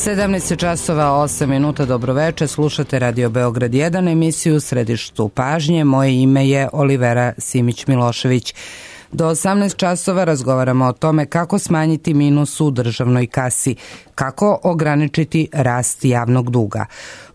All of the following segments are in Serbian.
17 časova 8 minuta, dobroveče, slušate Radio Beograd 1, emisiju Središtu pažnje. Moje ime je Olivera Simić-Milošević. Do 18 časova razgovaramo o tome kako smanjiti minus u državnoj kasi, kako ograničiti rast javnog duga.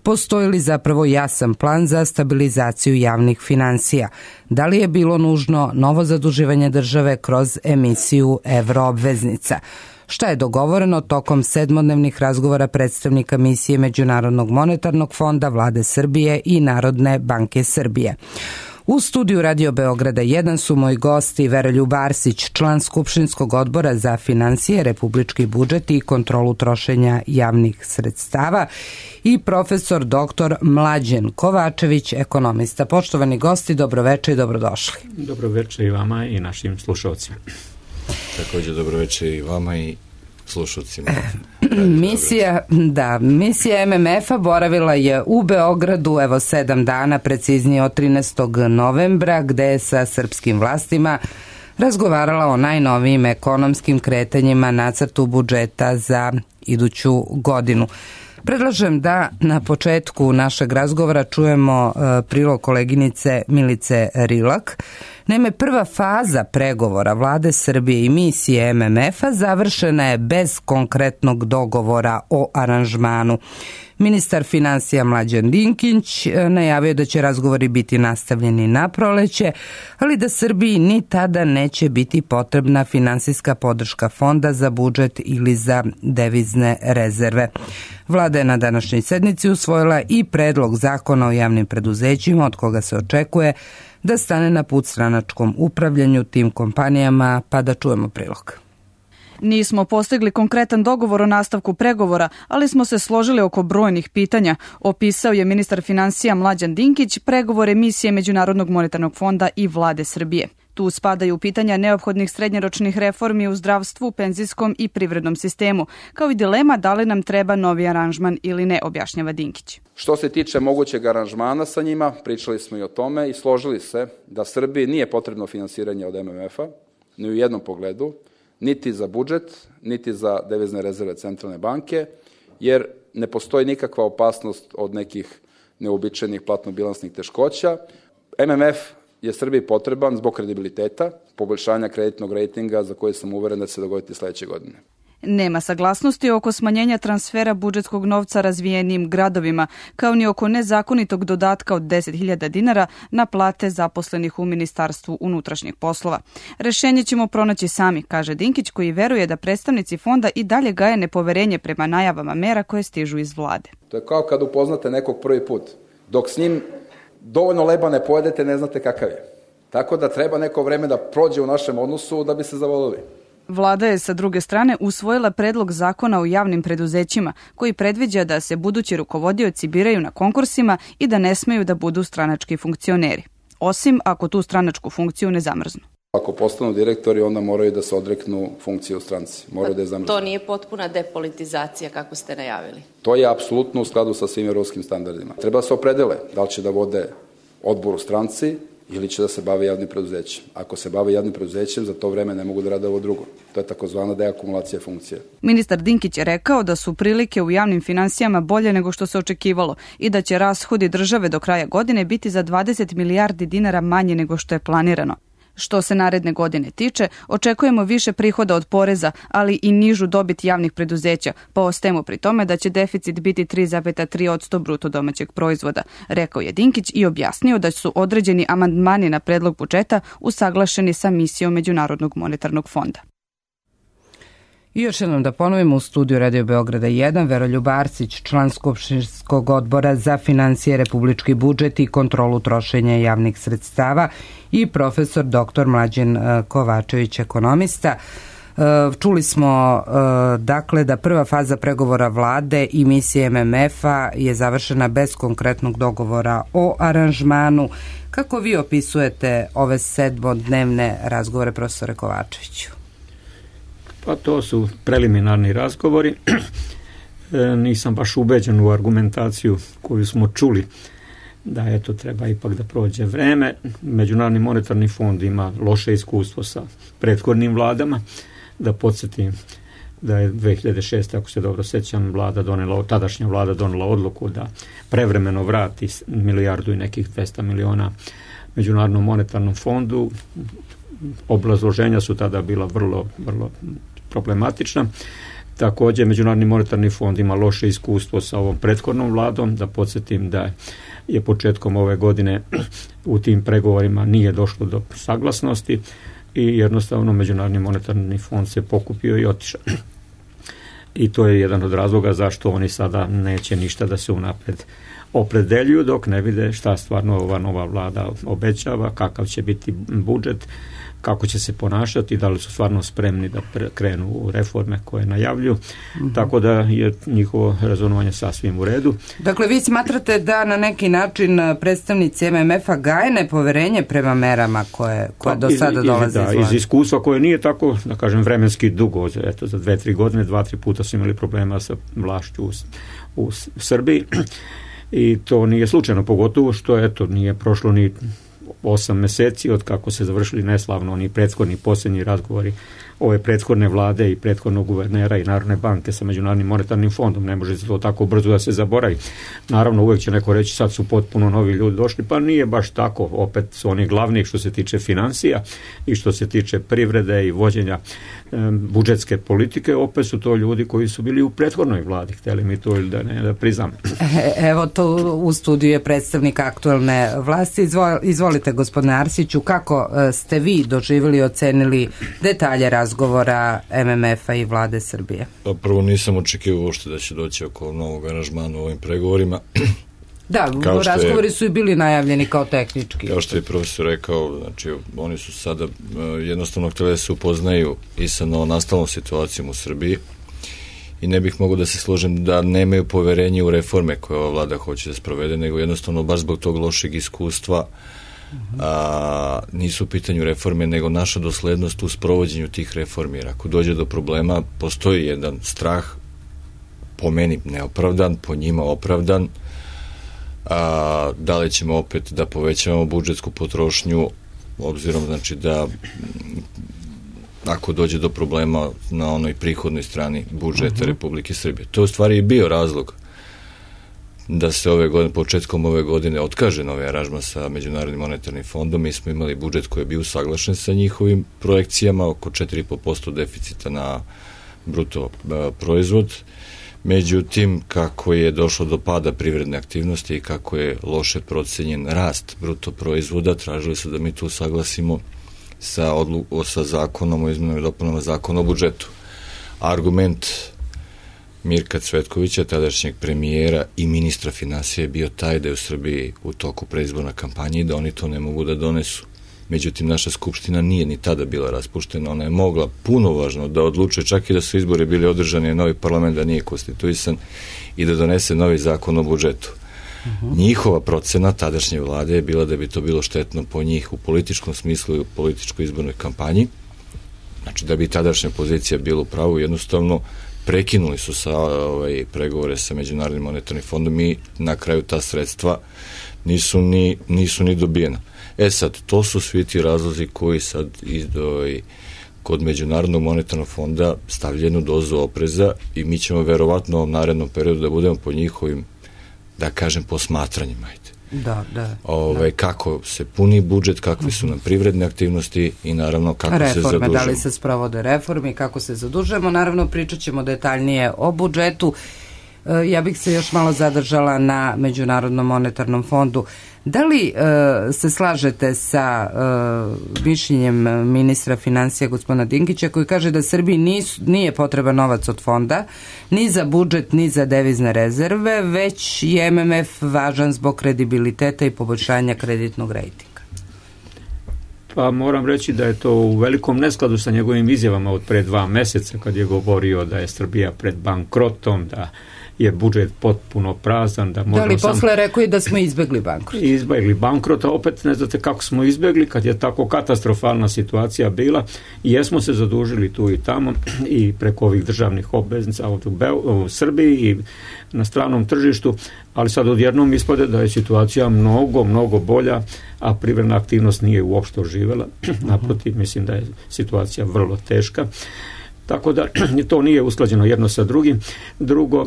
Postoji li zapravo jasan plan za stabilizaciju javnih finansija? Da li je bilo nužno novo zaduživanje države kroz emisiju evroobveznica? Šta je dogovoreno tokom sedmodnevnih razgovora predstavnika misije Međunarodnog monetarnog fonda, Vlade Srbije i Narodne banke Srbije? U studiju Radio Beograda 1 su moji gosti Veroljub Arsić, član Skupštinskog odbora za finansije, republički budžet i kontrolu trošenja javnih sredstava, i profesor dr. Mlađen Kovačević, ekonomista. Poštovani gosti, dobroveče i dobrodošli. Dobroveče i vama i našim slušalcima. Također dobroveče i vama i slušalcima. Misija MMF-a boravila je u Beogradu 7 dana, preciznije od 13. novembra, gde je sa srpskim vlastima razgovarala o najnovijim ekonomskim kretanjima, nacrtu budžeta za iduću godinu. Predlažem da na početku našeg razgovora čujemo prilog koleginice Milice Rilak. Naime, prva faza pregovora Vlade Srbije i misije MMF-a završena je bez konkretnog dogovora o aranžmanu. Ministar finansija Mlađan Dinkić najavio da će razgovori biti nastavljeni na proleće, ali da Srbiji ni tada neće biti potrebna finansijska podrška fonda za budžet ili za devizne rezerve. Vlada je na današnjoj sednici usvojila i predlog zakona o javnim preduzećima, od koga se očekuje da stane na put stranačkom upravljanju tim kompanijama, pa da čujemo prilog. Nismo postigli konkretan dogovor o nastavku pregovora, ali smo se složili oko brojnih pitanja, opisao je ministar finansija Mlađan Dinkić pregovore misije Međunarodnog monetarnog fonda i Vlade Srbije. Tu spadaju pitanja neophodnih srednjoročnih reformi u zdravstvu, penzijskom i privrednom sistemu, kao i dilema da li nam treba novi aranžman ili ne, objašnjava Dinkić. Što se tiče mogućeg aranžmana sa njima, pričali smo i o tome i složili se da Srbiji nije potrebno finansiranje od MMF-a, ni u jednom pogledu, niti za budžet, niti za devizne rezerve centralne banke, jer ne postoji nikakva opasnost od nekih neobičajnih platno-bilansnih teškoća. MMF je Srbiji potreban zbog kredibiliteta, poboljšanja kreditnog rejtinga za koje sam uveren da će se dogoditi sledeće godine. Nema saglasnosti oko smanjenja transfera budžetskog novca razvijenim gradovima, kao ni oko nezakonitog dodatka od 10.000 dinara na plate zaposlenih u Ministarstvu unutrašnjih poslova. Rešenje ćemo pronaći sami, kaže Dinkić, koji veruje da predstavnici fonda i dalje gaje nepoverenje prema najavama mera koje stižu iz vlade. To je kao kad upoznate nekog prvi put. Dok s njim dovoljno leba ne pojedete, ne znate kakav je. Tako da treba neko vreme da prođe u našem odnosu da bi se zavolili. Vlada je sa druge strane usvojila predlog zakona o javnim preduzećima koji predviđa da se budući rukovodioci biraju na konkursima i da ne smeju da budu stranački funkcioneri, osim ako tu stranačku funkciju ne zamrznu. Ako postanu direktori, onda moraju da se odreknu funkcije u stranci. Moraju da je zamrznu. To nije potpuna depolitizacija kako ste najavili? To je apsolutno u skladu sa svim evropskim standardima. Treba da se opredele da li će da vode odbor u stranci ili će da se bave javnim preduzećem. Ako se bave javnim preduzećem, za to vreme ne mogu da rade ovo drugo. To je takozvana deakumulacija funkcije. Ministar Dinkić je rekao da su prilike u javnim finansijama bolje nego što se očekivalo i da će rashodi države do kraja godine biti za 20 milijardi dinara manje nego što je planirano. Što se naredne godine tiče, očekujemo više prihoda od poreza, ali i nižu dobit javnih preduzeća, pa ostajemo pri tome da će deficit biti 3,3% bruto domaćeg proizvoda, rekao je Dinkić i objasnio da su određeni amandmani na predlog budžeta usaglašeni sa misijom Međunarodnog monetarnog fonda. I još jednom da ponovimo, u studiju Radio Beograda 1 Veroljub Arsić, član Skupštinskog odbora za finansije, republički budžet i kontrolu trošenja javnih sredstava, i profesor dr. Mlađen Kovačević, ekonomista. Čuli smo dakle da prva faza pregovora vlade i misije MMF-a je završena bez konkretnog dogovora o aranžmanu. Kako vi opisujete ove sedmodnevne razgovore, profesore Kovačeviću? Pa to su preliminarni razgovori. Nisam baš ubeđen u argumentaciju koju smo čuli da eto treba ipak da prođe vreme. Međunarodni monetarni fond ima loše iskustvo sa prethodnim vladama. Da podsjetim, da je 2006. ako se dobro sećam, tadašnja vlada donela odluku da prevremeno vrati milijardu i nekih 200 miliona Međunarodnom monetarnom fondu. Obrazloženja su tada bila vrlo, vrlo problematična. Također, Međunarodni monetarni fond ima loše iskustvo sa ovom prethodnom vladom. Da podsjetim da je početkom ove godine u tim pregovorima nije došlo do saglasnosti i jednostavno Međunarodni monetarni fond se pokupio i otišao. I to je jedan od razloga zašto oni sada neće ništa da se unapred opredeljuju dok ne vide šta stvarno ova nova vlada obećava, kakav će biti budžet, kako će se ponašati, da li su stvarno spremni da krenu u reforme koje najavljuju, tako da je njihovo rezonovanje sasvim u redu. Dakle, vi smatrate da na neki način predstavnici MMF-a gaje nepoverenje prema merama koje do sada dolaze iz iskustva koje nije tako, da kažem, vremenski dugo, eto za 2-3 godine, 2-3 puta su imali problema sa vlašću u Srbiji i to nije slučajno, pogotovo što eto nije prošlo ni 8 meseci od kako se završili neslavno oni prethodni posljednji razgovori ove prethodne vlade i prethodnog guvernera i Narodne banke sa Međunarodnim monetarnim fondom. Ne može se to tako brzo da se zaboravi. Naravno, uvijek će neko reći sad su potpuno novi ljudi došli, pa nije baš tako. Opet su oni glavni što se tiče financija i što se tiče privrede i vođenja budžetske politike, opet su to ljudi koji su bili u prethodnoj vladi, htjeli mi to ili da ne da priznam. Evo to u studiju je predstavnik aktualne vlasti. Izvolite, gospodine Arsiću, kako ste vi doživjeli i ocenili detalje razgovora MMF-a i vlade Srbije? Pa prvo nisam očekivao uopšte da će doći oko novog aranžmana u ovim pregovorima. Da, razgovori su i bili najavljeni kao tehnički. Kao što je profesor rekao, znači oni su sada jednostavno htjeli da se upoznaju i sa novonastalnom situacijom u Srbiji i ne bih mogao da se složim da nemaju poverenje u reforme koje ova vlada hoće da sprovede, nego jednostavno baš zbog tog lošeg iskustva nisu u pitanju reforme, nego naša doslednost u sprovođenju tih reformi. Jer ako dođe do problema, postoji jedan strah, po meni neopravdan, po njima opravdan, da li ćemo opet da povećavamo budžetsku potrošnju, obzirom znači da ako dođe do problema na onoj prihodnoj strani budžeta Republike Srbije. To u stvari i bio razlog da se početkom ove godine otkaže novi aranžman sa Međunarodnim monetarnim fondom. Mi smo imali budžet koji je bio usaglašen sa njihovim projekcijama, oko 4,5% deficita na bruto proizvod. Međutim, kako je došlo do pada privredne aktivnosti i kako je loše procenjen rast bruto proizvoda, tražili su da mi tu saglasimo sa zakonom o izmenama i dopunama zakona o budžetu. Argument Mirka Cvetkovića, tadašnjeg premijera i ministra finansija, je bio taj da je u Srbiji u toku predizborna kampanja i da oni to ne mogu da donesu. Međutim, naša skupština nije ni tada bila raspuštena, ona je mogla puno važno da odlučuje, čak i da su izbori bili održani, novi parlament da nije konstituisan i da donese novi zakon o budžetu. Njihova procena tadašnje vlade je bila da bi to bilo štetno po njih u političkom smislu i u političkoj izbornoj kampanji. Znači da bi tadašnja pozicija bila u pravu, jednostavno prekinuli su pregovore sa Međunarodnim monetarnim fondom i na kraju ta sredstva nisu ni dobijena. Sad, to su svi ti razlozi koji sad kod Međunarodnog monetarnog fonda stavljenu dozu opreza i mi ćemo verovatno u narednom periodu da budemo po njihovim, da kažem, posmatranjima. Kako se puni budžet, kakve su nam privredne aktivnosti i naravno kako se zadužujemo. Da li se sprovode reforme, kako se zadužujemo. Naravno, pričat ćemo detaljnije o budžetu. Ja bih se još malo zadržala na Međunarodnom monetarnom fondu. Da li se slažete sa mišljenjem ministra financija gospodina Dinkića koji kaže da Srbiji nije potreban novac od fonda ni za budžet ni za devizne rezerve, već je MMF važan zbog kredibiliteta i poboljšanja kreditnog rejtinga? Pa moram reći da je to u velikom neskladu sa njegovim izjavama od pre 2 meseca kad je govorio da je Srbija pred bankrotom, da je budžet potpuno prazan. Da li posle rekao i da smo izbegli bankrot? Izbegli bankrot, a opet ne znate kako smo izbegli kad je tako katastrofalna situacija bila i jesmo se zadužili tu i tamo i preko ovih državnih obveznica u Srbiji i na stranom tržištu, ali sad odjednom ispade da je situacija mnogo bolja, a privredna aktivnost nije uopšte oživela. Naprotiv, mislim da je situacija vrlo teška. tako da to nije usklađeno jedno sa drugim. Drugo,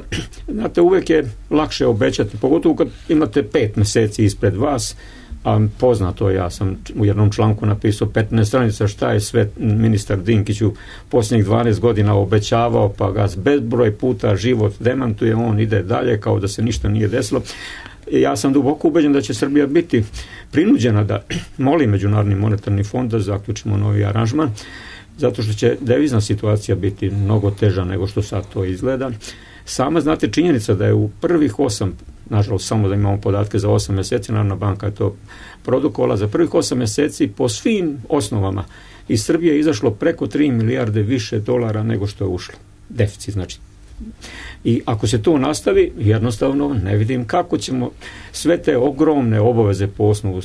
znate, uvijek je lakše obećati, pogotovo kad imate 5 mjeseci ispred vas, a poznato, ja sam u jednom članku napisao 15 stranica šta je sve ministar Dinkić u posljednjih 12 godina obećavao, pa ga bezbroj puta život demantuje, on ide dalje kao da se ništa nije desilo. Ja sam duboko ubeđen da će Srbija biti prinuđena da moli Međunarodni monetarni fond da zaključimo novi aranžman, zato što će devizna situacija biti mnogo teža nego što sad to izgleda. Sama, znate, činjenica da je u prvih 8, nažalost samo da imamo podatke za 8 mjeseci, Narodna banka je to produkovala, za prvih 8 mjeseci po svim osnovama iz Srbije je izašlo preko 3 milijarde više dolara nego što je ušlo. Deficit, znači. I ako se to nastavi, jednostavno ne vidim kako ćemo sve te ogromne obaveze po osnovu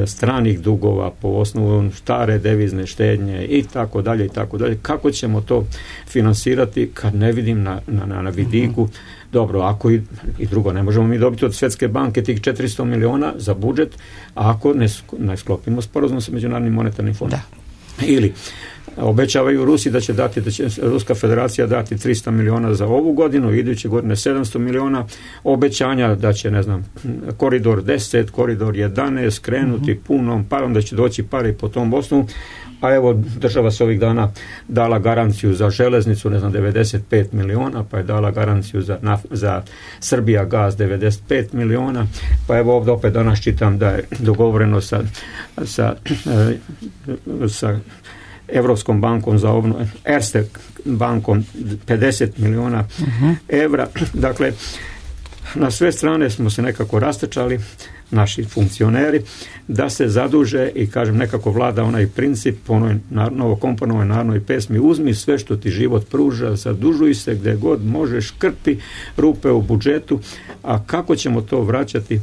stranih dugova, po osnovu stare devizne štednje i tako dalje, kako ćemo to finansirati kad ne vidim na vidiku. Dobro, ako i drugo, ne možemo mi dobiti od Svjetske banke tih 400 miliona za budžet, ako ne sklopimo sporazum sa Međunarodnim monetarnim fondom. Ili obećavaju Rusi da će Ruska federacija dati 300 miliona za ovu godinu, iduće godine 700 miliona, obećanja da će, ne znam, koridor 10, koridor 11 krenuti punom parom, da će doći pare po tom osnovu, a evo država se ovih dana dala garanciju za železnicu, ne znam, 95 miliona, pa je dala garanciju za Srbija gaz 95 miliona, pa evo ovdje opet danas čitam da je dogovoreno sa Evropskom bankom za obnovu, Erste bankom 50 miliona evra. Dakle, na sve strane smo se nekako rastrčali, naši funkcioneri, da se zaduže i, kažem, nekako vlada onaj princip po onoj novokomponovanoj narodnoj pesmi: uzmi sve što ti život pruža, zadužuj se gdje god možeš, krpi rupe u budžetu. A kako ćemo to vraćati?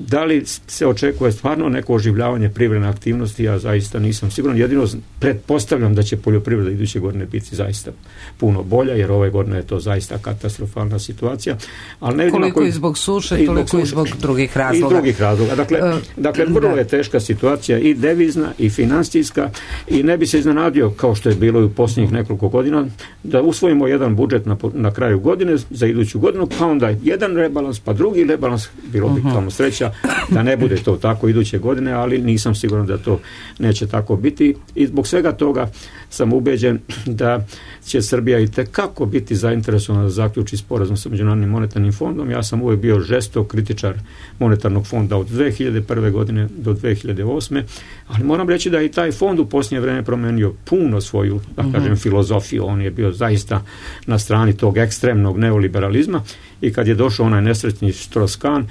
Da li se očekuje stvarno neko oživljavanje privredne aktivnosti? Ja zaista nisam siguran. Jedino pretpostavljam da će poljoprivreda iduće godine biti zaista puno bolja, jer ove godine je to zaista katastrofalna situacija. Ali ne koliko i zbog suše, toliko i zbog drugih razloga. I drugih razloga. Dakle, vrlo je teška situacija i devizna i financijska, i ne bi se iznenadio, kao što je bilo i u posljednjih nekoliko godina, da usvojimo jedan budžet na kraju godine za iduću godinu, pa onda jedan rebalans, pa drugi rebalans. Bilo bi tamo sreća da ne bude to tako iduće godine, ali nisam siguran da to neće tako biti, i zbog svega toga sam ubeđen da će Srbija itekako biti zainteresovana da zaključi sporazum sa Međunarodnim monetarnim fondom. Ja sam uvijek bio žestok kritičar monetarnog fonda od 2001. godine do 2008. Ali moram reći da je i taj fond u posljednje vrijeme promenio puno svoju, da kažem, filozofiju. On je bio zaista na strani tog ekstremnog neoliberalizma, i kad je došao onaj nesretni Strauss-Kahn,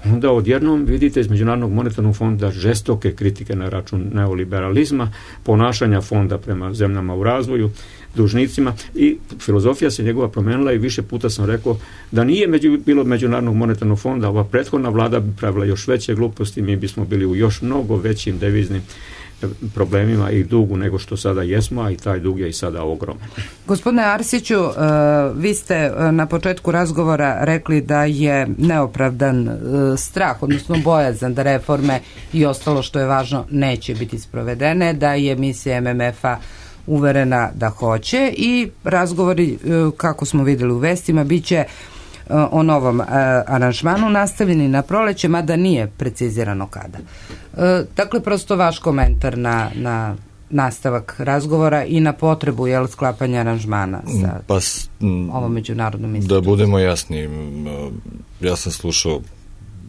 onda odjednom vidite iz Međunarodnog monetarnog fonda žestoke kritike na račun neoliberalizma, ponašanja fonda prema zemljama u razvoju, dužnicima, i filozofija se njegova promenila, i više puta sam rekao da nije bilo Međunarodnog monetarnog fonda, ova prethodna vlada bi pravila još veće gluposti, mi bismo bili u još mnogo većim deviznim problemima i dugu nego što sada jesmo, a i taj dug je i sada ogroman. Gospodine Arsiću, vi ste na početku razgovora rekli da je neopravdan strah, odnosno bojazan da reforme i ostalo što je važno neće biti sprovedene, da je misija MMF-a uverena da hoće, i razgovori, kako smo vidjeli u vestima, bit će o novom aranžmanu nastavljeni na proleće, mada nije precizirano kada. Dakle, prosto vaš komentar na nastavak razgovora i na potrebu sklapanja aranžmana sa ovom međunarodnom institucijom. Da budemo jasni, ja sam slušao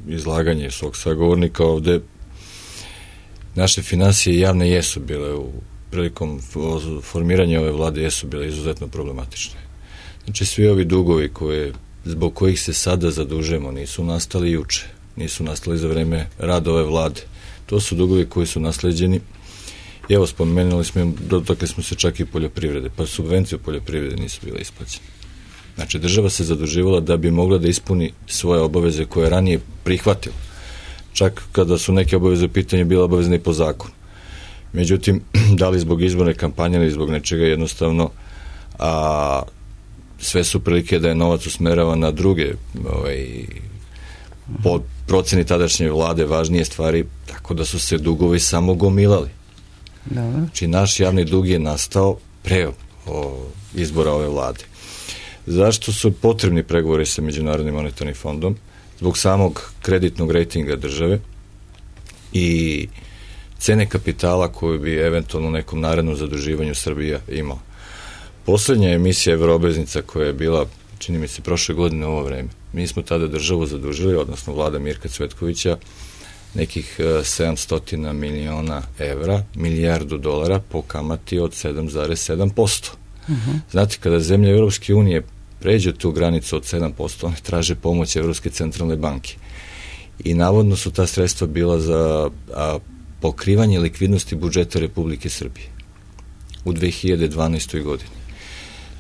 izlaganje svog sagovornika ovde. Naše financije javne jesu bile prilikom formiranja ove vlade jesu bile izuzetno problematične. Znači, svi ovi dugovi zbog kojih se sada zadužujemo nisu nastali juče, nisu nastali za vreme rada ove vlade. To su dugovi koji su nasleđeni. Evo, spomenuli smo, dotakli smo se čak i poljoprivrede, pa subvencije u poljoprivrede nisu bile isplaćene. Znači, država se zaduživala da bi mogla da ispuni svoje obaveze koje je ranije prihvatila. Čak kada su neke obaveze u pitanju bile obavezne i po zakonu. Međutim, da li zbog izborne kampanje ili zbog nečega, jednostavno sve su prilike da je novac usmerava na druge po proceni tadašnje vlade važnije stvari, tako da su se dugovi samo gomilali. Znači, naš javni dug je nastao pre izbora ove vlade. Zašto su potrebni pregovori sa Međunarodnim monetarnim fondom? Zbog samog kreditnog rejtinga države i cene kapitala koju bi eventualno u nekom narednom zaduživanju Srbija imala. Poslednja emisija evroobveznica koja je bila, čini mi se, prošle godine u ovo vreme, mi smo tada državu zadužili, odnosno vlada Mirka Cvetkovića, nekih 700 miliona evra, milijardu dolara po kamati od 7,7%. Znate, kada zemlje Europske unije pređu tu granicu od 7%, one traže pomoć Evropske centralne banke. I navodno su ta sredstva bila za pokrivanje likvidnosti budžeta Republike Srbije u 2012. godini.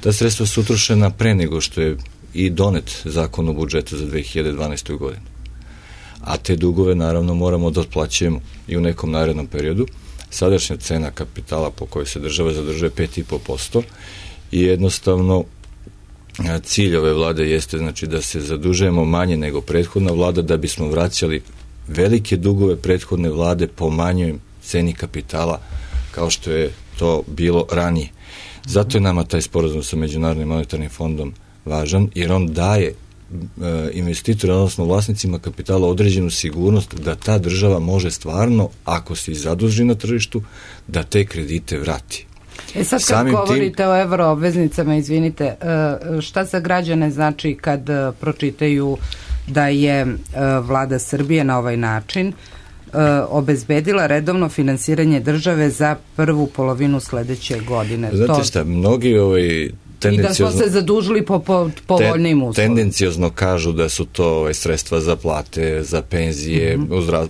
Ta sredstva su utrošena pre nego što je i donet zakon o budžetu za 2012. godinu. A te dugove naravno moramo da otplaćujemo i u nekom narednom periodu. Sadašnja cena kapitala po kojoj se država zadržuje 5,5% i jednostavno cilj ove vlade jeste znači da se zadužujemo manje nego prethodna vlada da bismo vraćali velike dugove prethodne vlade po manjoj ceni kapitala kao što je to bilo ranije. Zato je nama taj sporazum sa Međunarodnim monetarnim fondom važan, jer on daje investitora, odnosno vlasnicima kapitala određenu sigurnost da ta država može stvarno, ako se zaduži na tržištu, da te kredite vrati. Sad kad govorite o evroobveznicama, izvinite, šta za građane znači kad pročitaju da je vlada Srbije na ovaj način obezbedila redovno finansiranje države za prvu polovinu sledeće godine? Znate šta, mnogi i da smo se zadužili po povoljnim uslovima. Tendenciozno kažu da su to sredstva za plate, za penzije,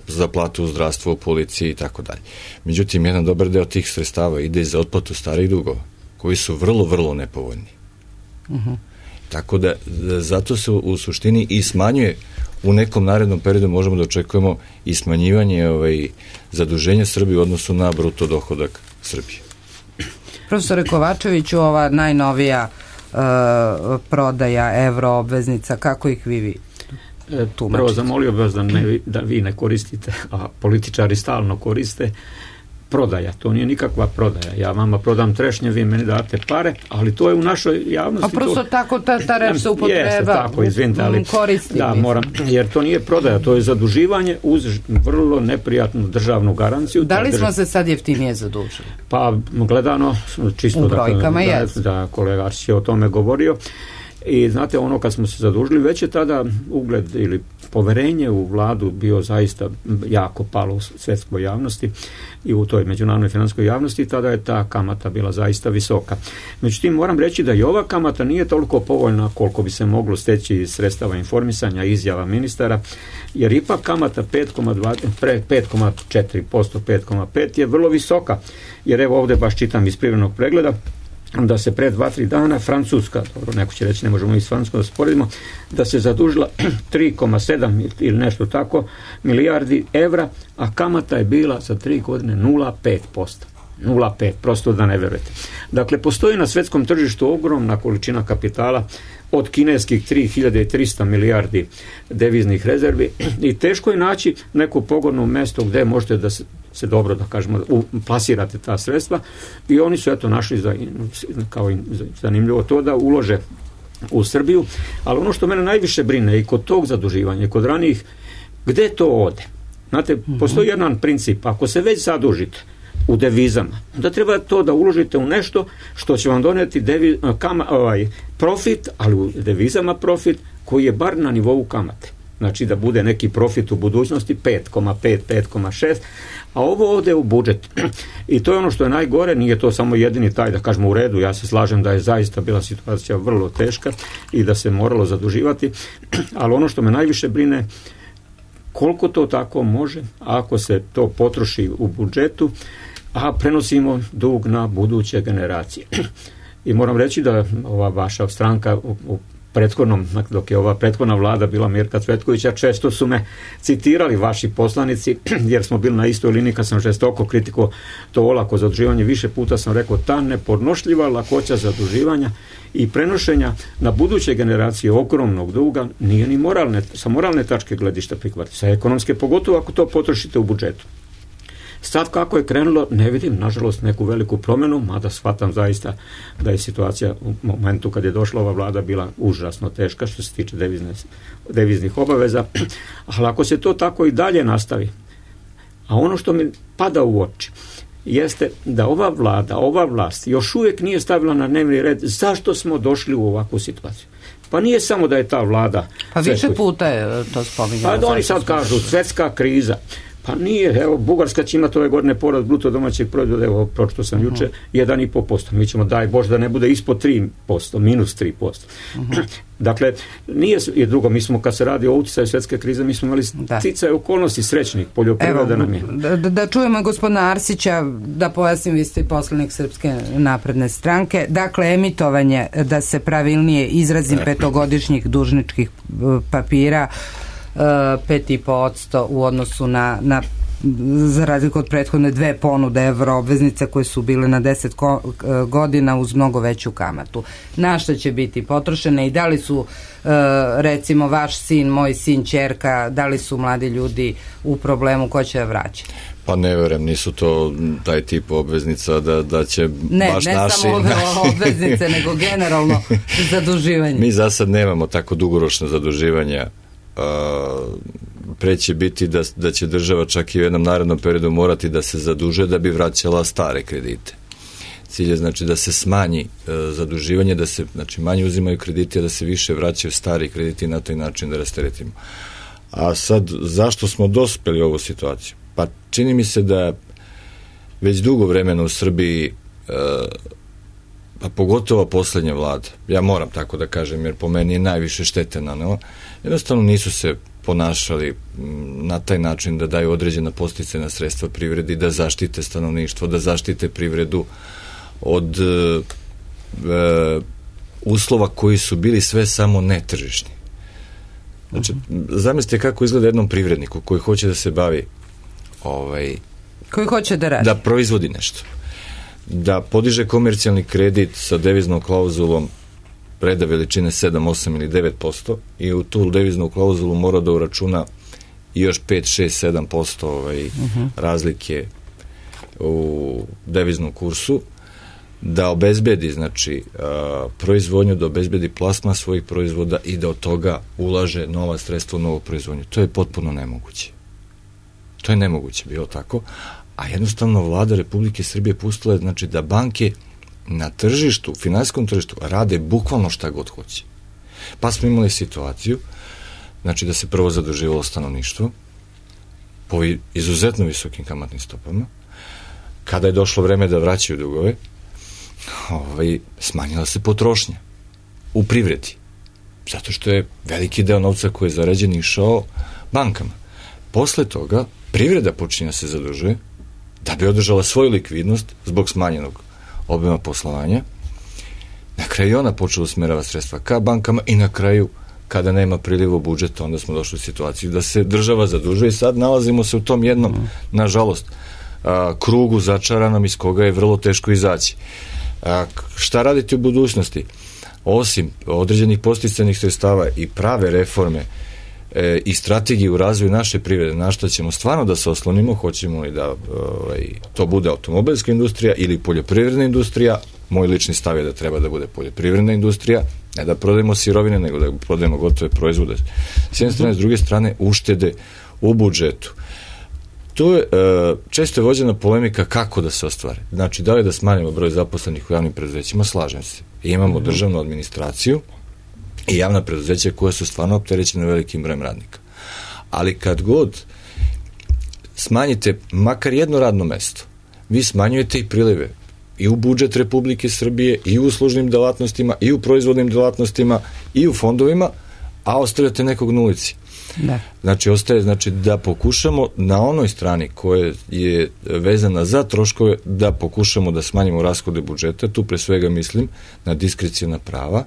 za platu u zdravstvu, u policiji i tako dalje. Međutim, jedan dobar deo tih sredstava ide za otplatu starih dugova, koji su vrlo, vrlo nepovoljni. Tako da zato se u suštini i smanjuje u nekom narednom periodu, možemo da očekujemo i smanjivanje zaduženja Srbije u odnosu na bruto dohodak Srbije. Profesore Kovačeviću, ova najnovija prodaja evroobveznica, kako ih vi tumačite? Prvo, zamolio bih vas da vi ne koristite, a političari stalno koriste, prodaja. To nije nikakva prodaja. Ja vama prodam trešnje, vi meni date pare, ali to je u našoj javnosti. A prosto tako ta reč se upotreba. Jeste tako, izvinite, ali koristi. Da, moram, jer to nije prodaja, to je zaduživanje uz vrlo neprijatnu državnu garanciju. Da li smo se sad jeftinije zadužili? Pa, gledano, čisto u brojkama da kolega Arsić je o tome govorio. I znate, ono kad smo se zadužili, već je tada ugled ili poverenje u vladu bio zaista jako palo u svetskoj javnosti i u toj međunarodnoj finansijskoj javnosti, tada je ta kamata bila zaista visoka. Međutim, moram reći da i ova kamata nije toliko povoljna koliko bi se moglo steći iz sredstava informisanja, izjava ministara, jer ipak kamata 5,4%, 5,5% je vrlo visoka, jer evo ovdje baš čitam iz privrednog pregleda da se pred 2-3 dana Francuska, dobro, neko će reći ne možemo i s Francuskom da sporedimo, da se zadužila 3,7 ili nešto tako milijardi evra, a kamata je bila za 3 godine 0,5%. 0,5, prosto da ne verujete. Dakle, postoji na svetskom tržištu ogromna količina kapitala od kineskih 3300 milijardi deviznih rezervi i teško je naći neko pogodno mesto gde možete da se dobro, da kažemo, plasirate ta sredstva i oni su eto našli kao zanimljivo to da ulože u Srbiju, ali ono što mene najviše brine i kod tog zaduživanja i kod ranijih, gde to ode? Znate, postoji jedan princip, ako se već zadužite u devizama, da treba to da uložite u nešto što će vam doneti profit, ali u devizama profit koji je bar na nivou kamate. Znači da bude neki profit u budućnosti 5,5, 5,6, a ovo ode u budžet. I to je ono što je najgore, nije to samo jedini taj, da kažemo, u redu, ja se slažem da je zaista bila situacija vrlo teška i da se moralo zaduživati, ali ono što me najviše brine, koliko to tako može, ako se to potroši u budžetu, a prenosimo dug na buduće generacije. I moram reći da ova vaša stranka u prethodnom, dok je ova prethodna vlada bila Mirka Cvetkovića, često su me citirali vaši poslanici, jer smo bili na istoj liniji kad sam žestoko kritiko to olako zaduživanje. Više puta sam rekao, ta nepodnošljiva lakoća zaduživanja i prenošenja na buduće generacije ogromnog duga nije ni sa moralne tačke gledišta prihvatiti, sa ekonomske, pogotovo ako to potrošite u budžetu. Sad kako je krenulo, ne vidim, nažalost, neku veliku promjenu, mada shvatam zaista da je situacija u momentu kad je došla ova vlada bila užasno teška što se tiče deviznih obaveza, ali ako se to tako i dalje nastavi, a ono što mi pada u oči jeste da ova vlada, ova vlast još uvijek nije stavila na dnevni red zašto smo došli u ovakvu situaciju. Pa nije samo da je ta vlada... Pa više puta je to spominjalo. Pa oni sad kažu svjetska kriza. Pa nije, evo, Bugarska će imati ove godine porast bruto domaćeg proizvoda, evo, pročito sam juče, 1,5%. Mi ćemo, daj Bože, da ne bude ispod 3%, minus 3%. Dakle, nije, i drugo, mi smo, kad se radi o utjecaju svjetske krize, mi smo imali sticaje okolnosti srećnih, poljoprivreda nam je. Da čujemo gospodina Arsića, da pojasnim, vi ste poslanik Srpske napredne stranke. Dakle, emitovanje, da se pravilnije izrazim, petogodišnjih dužničkih papira, 5,5% u odnosu na za razliku od prethodne 2 ponude evroobveznice koje su bile na 10 godina uz mnogo veću kamatu. Na što će biti potrošene i da li su recimo vaš sin, moj sin, ćerka, da li su mladi ljudi u problemu, ko će vraćati? Pa ne verujem, nisu to taj tip obveznica da će baš naši... Ne samo obveznice, nego generalno zaduživanje. Mi za sad nemamo tako dugoročno zaduživanja. Pre će biti da će država čak i u jednom narednom periodu morati da se zadužuje da bi vraćala stare kredite. Cilj je znači da se smanji zaduživanje, da se znači manje uzimaju krediti, a da se više vraćaju stari krediti i na taj način da rasteretimo. A sad, zašto smo dospeli u ovu situaciju? Pa čini mi se da već dugo vremena u Srbiji, pa pogotovo poslednja vlada, ja moram tako da kažem, jer po meni je najviše štete nanela, jednostavno nisu se ponašali na taj način da daju određena podsticajna sredstva privredi, da zaštite stanovništvo, da zaštite privredu od uslova koji su bili sve samo netržišni. Znači, zamislite kako izgleda jednom privredniku koji hoće da se bavi koji hoće da radi, da proizvodi nešto, da podiže komercijalni kredit sa deviznom klauzulom preda veličine 7, 8 ili 9% i u tu deviznu klauzulu mora da uračuna i još 5, 6, 7% razlike u deviznom kursu, da obezbedi znači proizvodnju, da obezbedi plasma svojih proizvoda i da od toga ulaže nova sredstva u novu proizvodnju. To je potpuno nemoguće. To je nemoguće bilo tako, a jednostavno vlada Republike Srbije pustila je znači da banke na tržištu, finansijskom tržištu rade bukvalno šta god hoće. Pa smo imali situaciju znači da se prvo zaduživalo stanovništvo po izuzetno visokim kamatnim stopama. Kada je došlo vreme da vraćaju dugove, smanjila se potrošnja u privredi. Zato što je veliki deo novca koji je zarađen išao bankama. Posle toga privreda počinje da se zadužuje da bi održala svoju likvidnost zbog smanjenog obima poslovanja. Na kraju ona počela usmerava sredstva ka bankama i na kraju kada nema priliva u budžet, onda smo došli u situaciju da se država zadužuje i sad nalazimo se u tom jednom, nažalost, krugu začaranom iz koga je vrlo teško izaći. Šta raditi u budućnosti? Osim određenih podsticajnih sredstava i prave reforme i strategije u razvoju naše privrede, na što ćemo stvarno da se oslonimo, hoćemo li da to bude automobilska industrija ili poljoprivredna industrija. Moj lični stav je da treba da bude poljoprivredna industrija, ne da prodajemo sirovine, nego da prodajemo gotove proizvode. S jedne strane, s druge strane, uštede u budžetu. To je često je vođena polemika kako da se ostvari. Znači, da li da smanjimo broj zaposlenih u javnim preduzećima, slažem se. Imamo državnu administraciju i javna preduzeća koja su stvarno opterećena velikim brojem radnika. Ali kad god smanjite makar jedno radno mesto, vi smanjujete i prilive i u budžet Republike Srbije, i u uslužnim delatnostima, i u proizvodnim delatnostima, i u fondovima, a ostavljate nekog na ulici. Da. Znači, ostaje da pokušamo na onoj strani koja je vezana za troškove, da pokušamo da smanjimo rashode budžeta. Tu pre svega mislim na diskreciona prava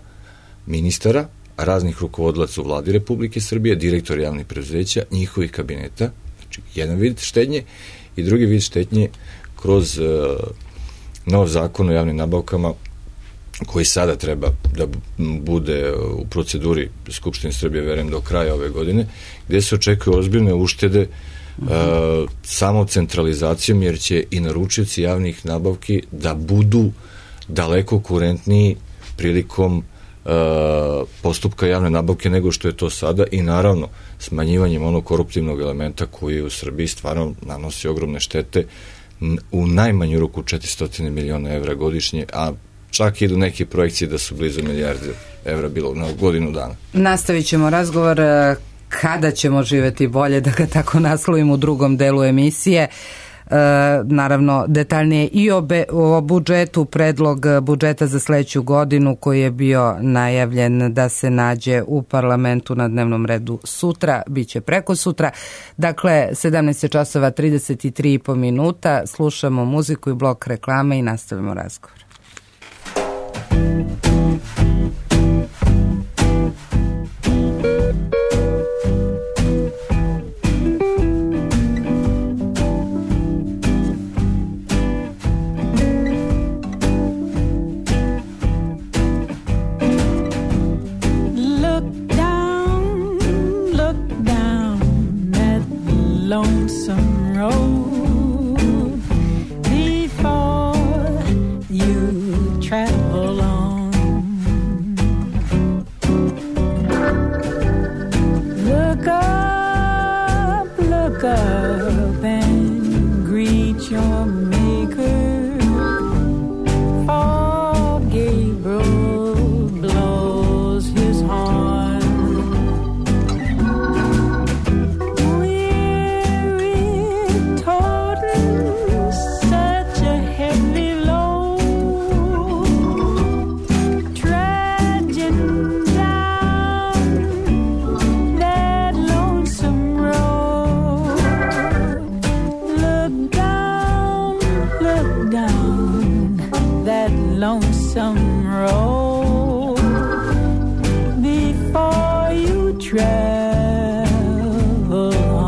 ministara, raznih rukovodilaca u vladi Republike Srbije, direktor javnih preduzeća, njihovih kabineta. Znači, jedan vid štednje i drugi vid štednje kroz nov zakon o javnim nabavkama koji sada treba da bude u proceduri Skupštine Srbije, verujem, do kraja ove godine, gde se očekuju ozbiljne uštede samom centralizacijom, jer će i naručioci javnih nabavki da budu daleko kurentniji prilikom postupka javne nabavke nego što je to sada, i naravno smanjivanjem onog koruptivnog elementa koji u Srbiji stvarno nanosi ogromne štete, u najmanju ruku 400 miliona evra godišnje, a čak idu neke projekcije da su blizu milijarde evra bilo na godinu dana. Nastavit ćemo razgovor kada ćemo živeti bolje, da ga tako naslovim, u drugom delu emisije. Naravno detaljnije i o budžetu, predlog budžeta za sledeću godinu koji je bio najavljen da se nađe u parlamentu na dnevnom redu sutra, bit će preko sutra. Dakle, 17:33 minuta, slušamo muziku i blok reklame i nastavimo razgovor. Lonesome road before you travel on. Look up and greet your maker, for Gabriel blows his horn. Lonesome road before you travel on.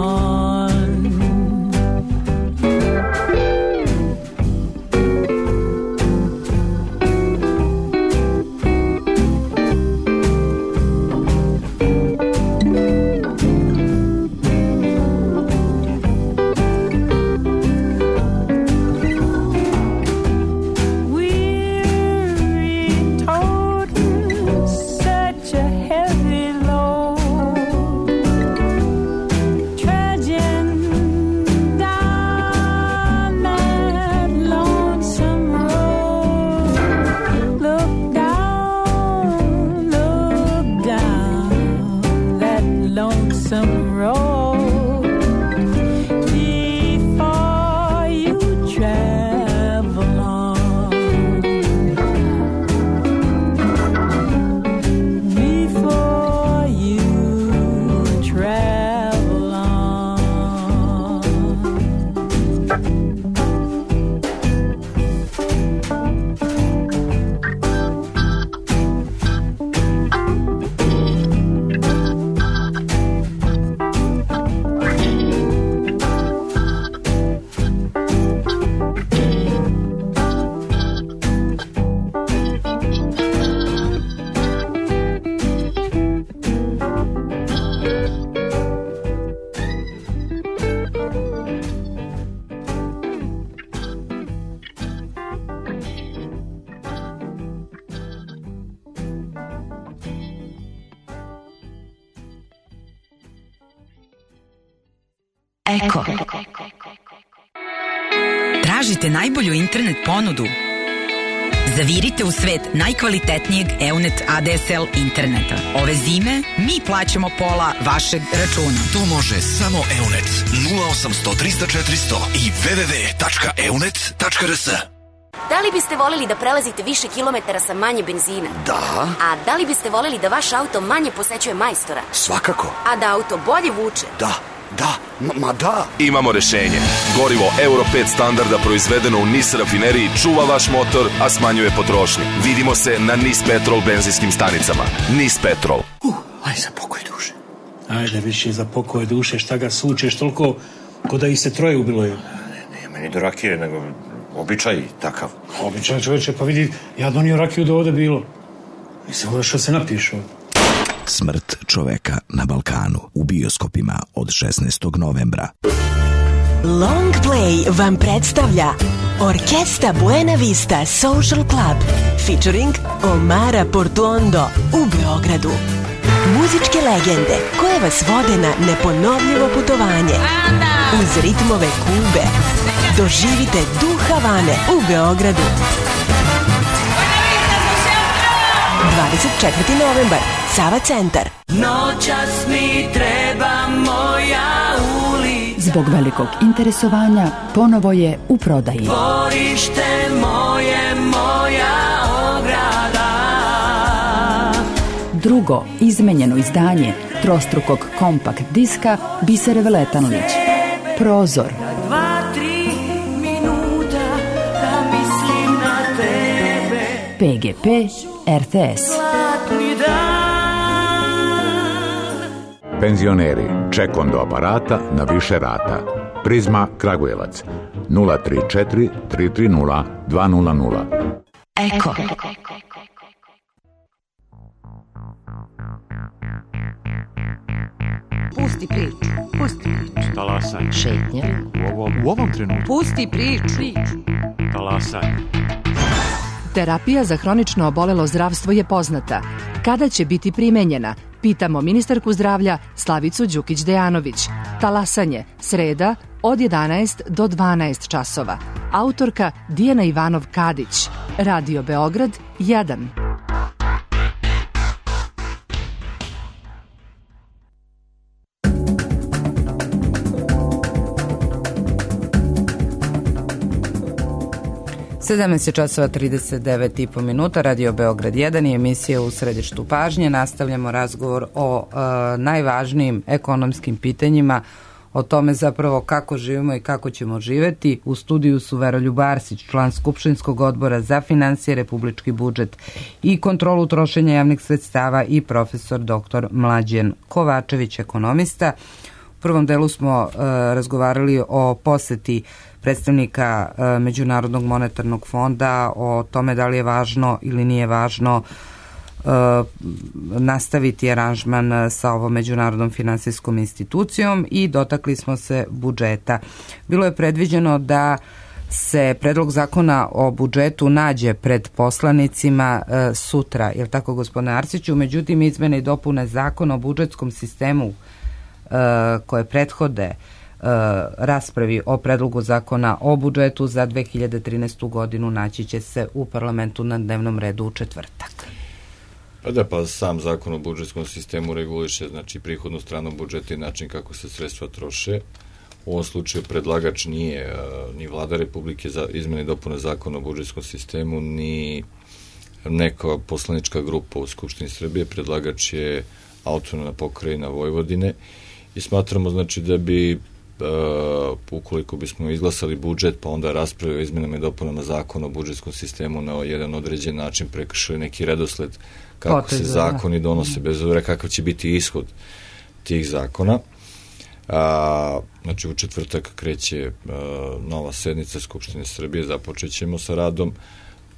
Eko. Tražite najbolju internet ponudu? Zavirite u svet najkvalitetnijeg EUNET ADSL interneta. Ove zime mi plaćamo pola vašeg računa. To može samo EUNET 0800 300 400 i www.eunet.rs. Da li biste voleli da prelazite više kilometara sa manje benzina? Da. A da li biste voleli da vaš auto manje posećuje majstora? Svakako. A da auto bolje vuče? Da. Da. Imamo rešenje. Gorivo Euro 5 standarda proizvedeno u NIS rafineriji čuva vaš motor, a smanjuje potrošnju. Vidimo se na NIS Petrol benzinskim stanicama. NIS Petrol. Aj za pokoj duše. Ajde više za pokoj duše, šta ga sučeš toliko ko da ih se troje ubilo je. Nije meni do rakije, nego običaj takav. Običaj, čoveče, pa vidi, ja donio rakiju da ovde bilo. Mislim, ovo što se napišu. Smrt čoveka na Balkanu u bioskopima od 16. novembra. Long Play vam predstavlja Orkesta Buena Vista Social Club featuring Omara Portuondo u Beogradu. Muzičke legende koje vas vode na neponovljivo putovanje uz ritmove Kube. Doživite duh Havane u Beogradu. 24. novembar, Sava centar. Noćas mi treba moja ulica. Zbog velikog interesovanja ponovo je u prodaji. Dvorište moje, moja ograda. Drugo izmenjeno izdanje trostrukog kompakt diska Bisere Veletanlić. Prozor. 2-3 minuta da mislim na tebe. PGP RTS. Penzioneri, ček do aparata na više rata. Prizma Kragujevac 034 330 200. Eko. Pusti priču. Pusti priču. Talasaj. Šetnja. U ovom trenutku. Pusti priču. Talasaj. Terapija za hronično obolelo zdravstvo je poznata. Kada će biti primenjena? Pitamo ministarku zdravlja Slavicu Đukić-Dejanović. Talasanje, sreda od 11 do 12 časova. Autorka Dijana Ivanov-Kadić. Radio Beograd 1. Sedamnaest časova 39,5 minuta, Radio Beograd 1 i emisija U središtu pažnje. Nastavljamo razgovor o najvažnijim ekonomskim pitanjima, o tome zapravo kako živimo i kako ćemo živeti. U studiju su Veroljub Arsić, član Skupštinskog odbora za finansije, republički budžet i kontrolu trošenja javnih sredstava i profesor dr. Mlađen Kovačević, ekonomista. U prvom delu smo razgovarali o poseti predstavnika Međunarodnog monetarnog fonda, o tome da li je važno ili nije važno nastaviti aranžman sa ovom međunarodnom finansijskom institucijom i dotakli smo se budžeta. Bilo je predviđeno da se predlog zakona o budžetu nađe pred poslanicima sutra, je li tako, gospodine Arsiću? Međutim, izmene i dopune zakona o budžetskom sistemu koje prethode raspravi o predlogu zakona o budžetu za 2013. godinu naći će se u parlamentu na dnevnom redu u četvrtak. Pa sam zakon o budžetskom sistemu reguliše, znači, prihodnu stranu budžeta i način kako se sredstva troše. U ovom slučaju predlagač nije ni vlada Republike za izmene i dopune zakona o budžetskom sistemu, ni neka poslanička grupa u Skupštini Srbije. Predlagač je autonomna pokrajina Vojvodine i smatramo, znači, da bi ukoliko bismo izglasali budžet pa onda raspravili o izmenama i dopunama zakona o budžetskom sistemu na jedan određen način, prekršili neki redosled kako se zakoni donose, bez obzira kakav će biti ishod tih zakona. Znači, u četvrtak kreće nova sednica Skupštine Srbije, započećemo sa radom.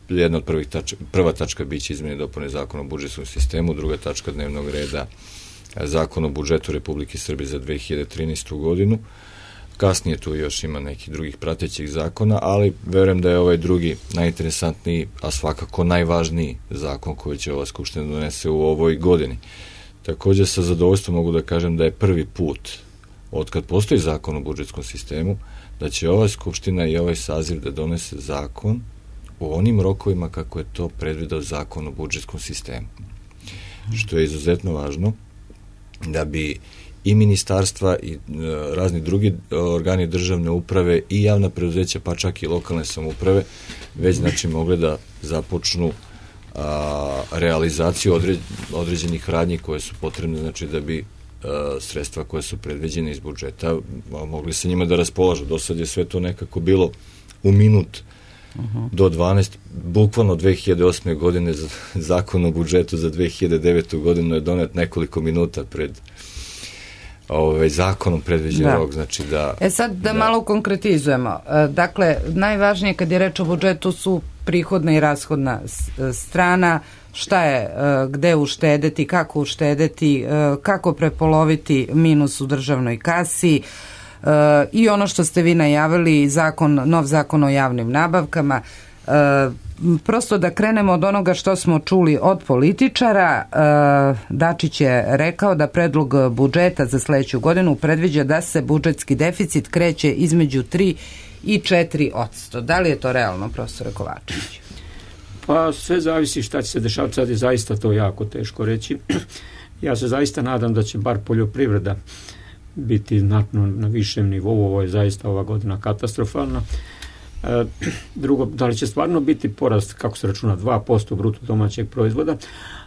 Jedna od prva tačka biće izmene i dopune zakona o budžetskom sistemu, druga tačka dnevnog reda zakon o budžetu Republike Srbije za 2013. godinu. Kasnije tu još ima nekih drugih pratećih zakona, ali verujem da je ovaj drugi najinteresantniji, a svakako najvažniji zakon koji će ova Skupština donese u ovoj godini. Također sa zadovoljstvom mogu da kažem da je prvi put od kad postoji zakon o budžetskom sistemu da će ova Skupština i ovaj saziv da donese zakon u onim rokovima kako je to predvideo zakon o budžetskom sistemu. Što je izuzetno važno da bi i ministarstva i razni drugi organi državne uprave i javna preduzeća, pa čak i lokalne samouprave, već, znači, mogli da započnu realizaciju određenih radnji koje su potrebne, znači, da bi sredstva koje su predviđene iz budžeta mogli se njima da raspolažu. Do sad je sve to nekako bilo u minut do 12, bukvalno 2008. godine zakon o budžetu za 2009. godinu je donet nekoliko minuta pred zakonom predviđen rok, znači da... Sad da malo konkretizujemo. Dakle, najvažnije kad je reč o budžetu su prihodna i rashodna strana, šta je, gde uštedeti, kako prepoloviti minus u državnoj kasi, i ono što ste vi najavili, nov zakon o javnim nabavkama. Prosto da krenemo od onoga što smo čuli od političara. Dačić je rekao da predlog budžeta za sledeću godinu predviđa da se budžetski deficit kreće između 3 i 4%. Da li je to realno, profesore Kovačević? Pa sve zavisi šta će se dešavati, sad je zaista to jako teško reći. Ja se zaista nadam da će bar poljoprivreda biti znatno na višem nivou, ovo je zaista ova godina katastrofalna. Drugo, da li će stvarno biti porast, kako se računa, 2% bruto domaćeg proizvoda,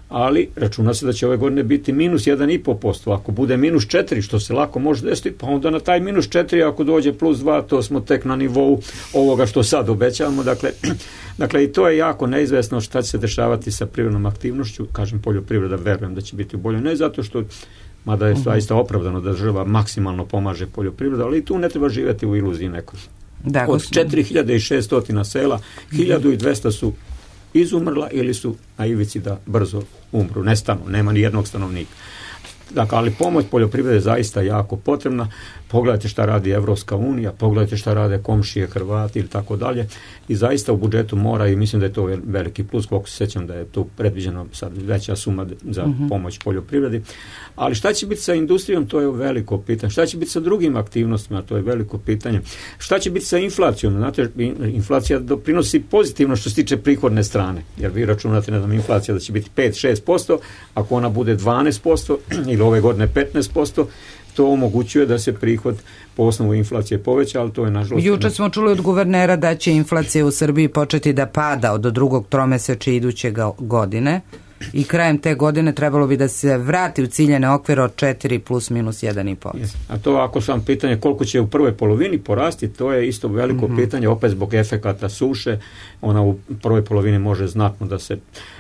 ali računa se da će ove godine biti minus 1,5%. Ako bude minus 4, što se lako može desiti, pa onda na taj minus 4, ako dođe plus 2, to smo tek na nivou ovoga što sad obećavamo. Dakle, i to je jako neizvesno šta će se dešavati sa privrednom aktivnošću. Kažem, poljoprivreda, verujem da će biti u boljoj, ne zato što, mada je zaista opravdano da država maksimalno pomaže poljoprivredu, ali i tu ne treba živjeti u iluziji nekoj. Od 4600 sela, 1200 su izumrla ili su na ivici da brzo umru, nestanu, nema ni jednog stanovnika. Dakle, ali pomoć poljoprivrede je zaista jako potrebna. Pogledajte šta radi Evropska unija, pogledajte šta rade komšije, Hrvati ili tako dalje. I zaista u budžetu mora, i mislim da je to veliki plus, koliko se sjećam da je tu predviđeno sad veća suma za pomoć poljoprivredi. Ali šta će biti sa industrijom, to je veliko pitanje. Šta će biti sa drugim aktivnostima, to je veliko pitanje. Šta će biti sa inflacijom? Znate, inflacija doprinosi pozitivno što se tiče prihodne strane. Jer vi računate, ne znam, inflacija da će biti 5-6%, ako ona bude 12% ili ove godine 15%, to omogućuje da se prihod po osnovu inflacije poveća, ali to je nažalost... Juče smo čuli od guvernera da će inflacija u Srbiji početi da pada od drugog tromesečja iduće godine i krajem te godine trebalo bi da se vrati u ciljene okvire od 4 plus minus 1,5%. A to ako sam pitanje koliko će u prvoj polovini porasti, to je isto veliko pitanje, opet zbog efekata suše, ona u prvoj polovini može znatno da se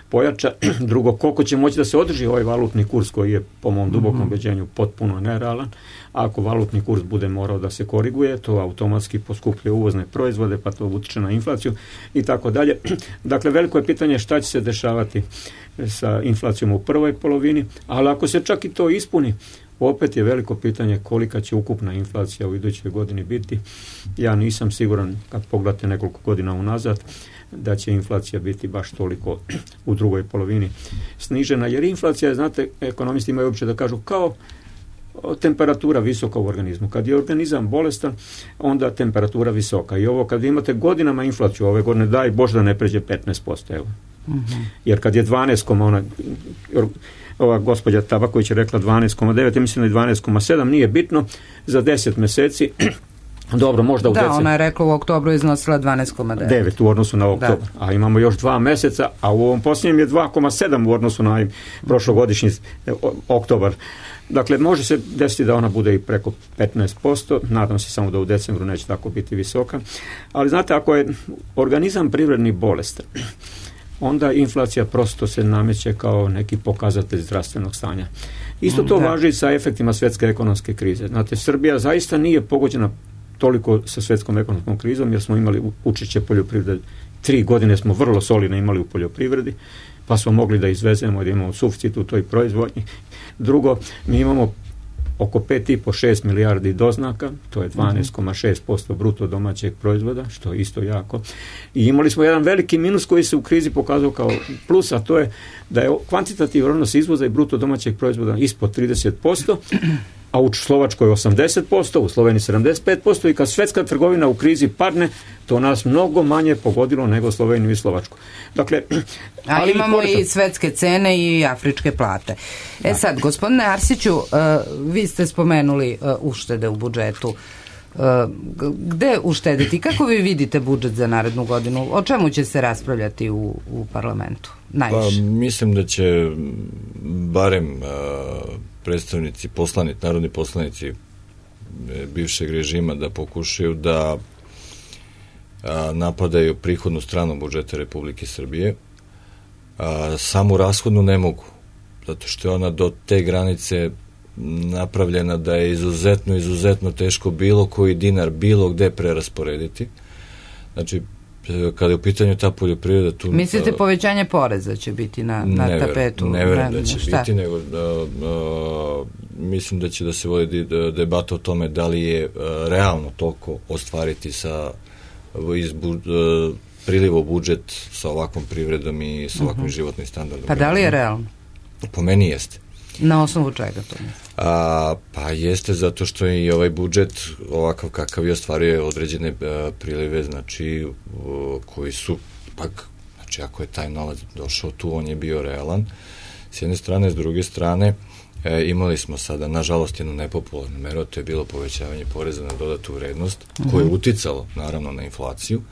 pojača. Drugo, koliko će moći da se održi ovaj valutni kurs koji je po mom dubokom ubeđenju potpuno nerealan. Ako valutni kurs bude morao da se koriguje, to automatski poskupljuje uvozne proizvode, pa to utiče na inflaciju i tako dalje. Dakle, veliko je pitanje šta će se dešavati sa inflacijom u prvoj polovini, ali ako se čak i to ispuni, opet je veliko pitanje kolika će ukupna inflacija u idućoj godini biti. Ja nisam siguran, kad pogledate nekoliko godina unazad, da će inflacija biti baš toliko u drugoj polovini snižena, jer inflacija je, znate, ekonomisti imaju uopće da kažu kao temperatura visoka u organizmu. Kad je organizam bolestan, onda temperatura visoka. I ovo kad imate godinama inflaciju, ove godine daj Bože da ne pređe 15%. Evo. Jer kad je 12, ova gospođa Tabaković je rekla 12,9, ja mislim da je 12,7, nije bitno, za 10 meseci dobro, možda u decembru. Da, ona je rekla u oktobru iznosila 12,9. 9 u odnosu na oktobar. A imamo još 2 meseca, a u ovom posljednjem je 2,7 u odnosu na prošlogodišnji oktobar. Dakle, može se desiti da ona bude i preko 15%, nadam se samo da u decembru neće tako biti visoka. Ali znate, ako je organizam privredni bolestan, onda inflacija prosto se nameće kao neki pokazatelj zdravstvenog stanja. Isto to važi i sa efektima svjetske ekonomske krize. Znate, Srbija zaista nije pogođena toliko sa svjetskom ekonomskom krizom, jer smo imali učešće poljoprivrede. 3 godine smo vrlo solidno imali u poljoprivredi, pa smo mogli da izvezemo, da imamo suficit u toj proizvodnji. Drugo, mi imamo oko 5,5-6 milijardi doznaka, to je 12,6% bruto domaćeg proizvoda, što je isto jako. I imali smo jedan veliki minus koji se u krizi pokazao kao plus, a to je da je kvantitativni odnos izvoza i bruto domaćeg proizvoda ispod 30%, a u Slovačkoj 80%, u Sloveniji 75%, i kad svjetska trgovina u krizi padne, to nas mnogo manje pogodilo nego Sloveniju i Slovačku. Dakle, ali imamo i svetske cene i afričke plate. Sad, gospodine Arsiću, vi ste spomenuli uštede u budžetu. Gde uštediti? Kako vi vidite budžet za narednu godinu? O čemu će se raspravljati u parlamentu? Najviše. Pa, mislim da će barem predstavnici, narodni poslanici bivšeg režima da pokušaju da napadaju prihodnu stranu budžeta Republike Srbije. Samu rashodnu ne mogu, zato što je ona do te granice napravljena da je izuzetno teško bilo koji dinar bilo gde prerasporediti. Znači, kada je u pitanju ta poljoprivreda tu... Mislite povećanje poreza će biti na tapetu? Ne verujem da će biti, nego mislim da će da se vodi debata o tome da li je realno toliko ostvariti priliv u budžet sa ovakvom privredom i sa ovakvim životnim standardom. Pa da li je realno? Po meni jeste. Na osnovu čega to? Pa jeste zato što je i ovaj budžet ovakav kakav je ostvario određene prilive, znači koji su pak, znači ako je taj novac došao tu, on je bio realan s jedne strane, s druge strane imali smo sada, nažalost, jednu nepopularnu meru, to je bilo povećavanje poreza na dodatu vrednost, koje je uticalo naravno na inflaciju,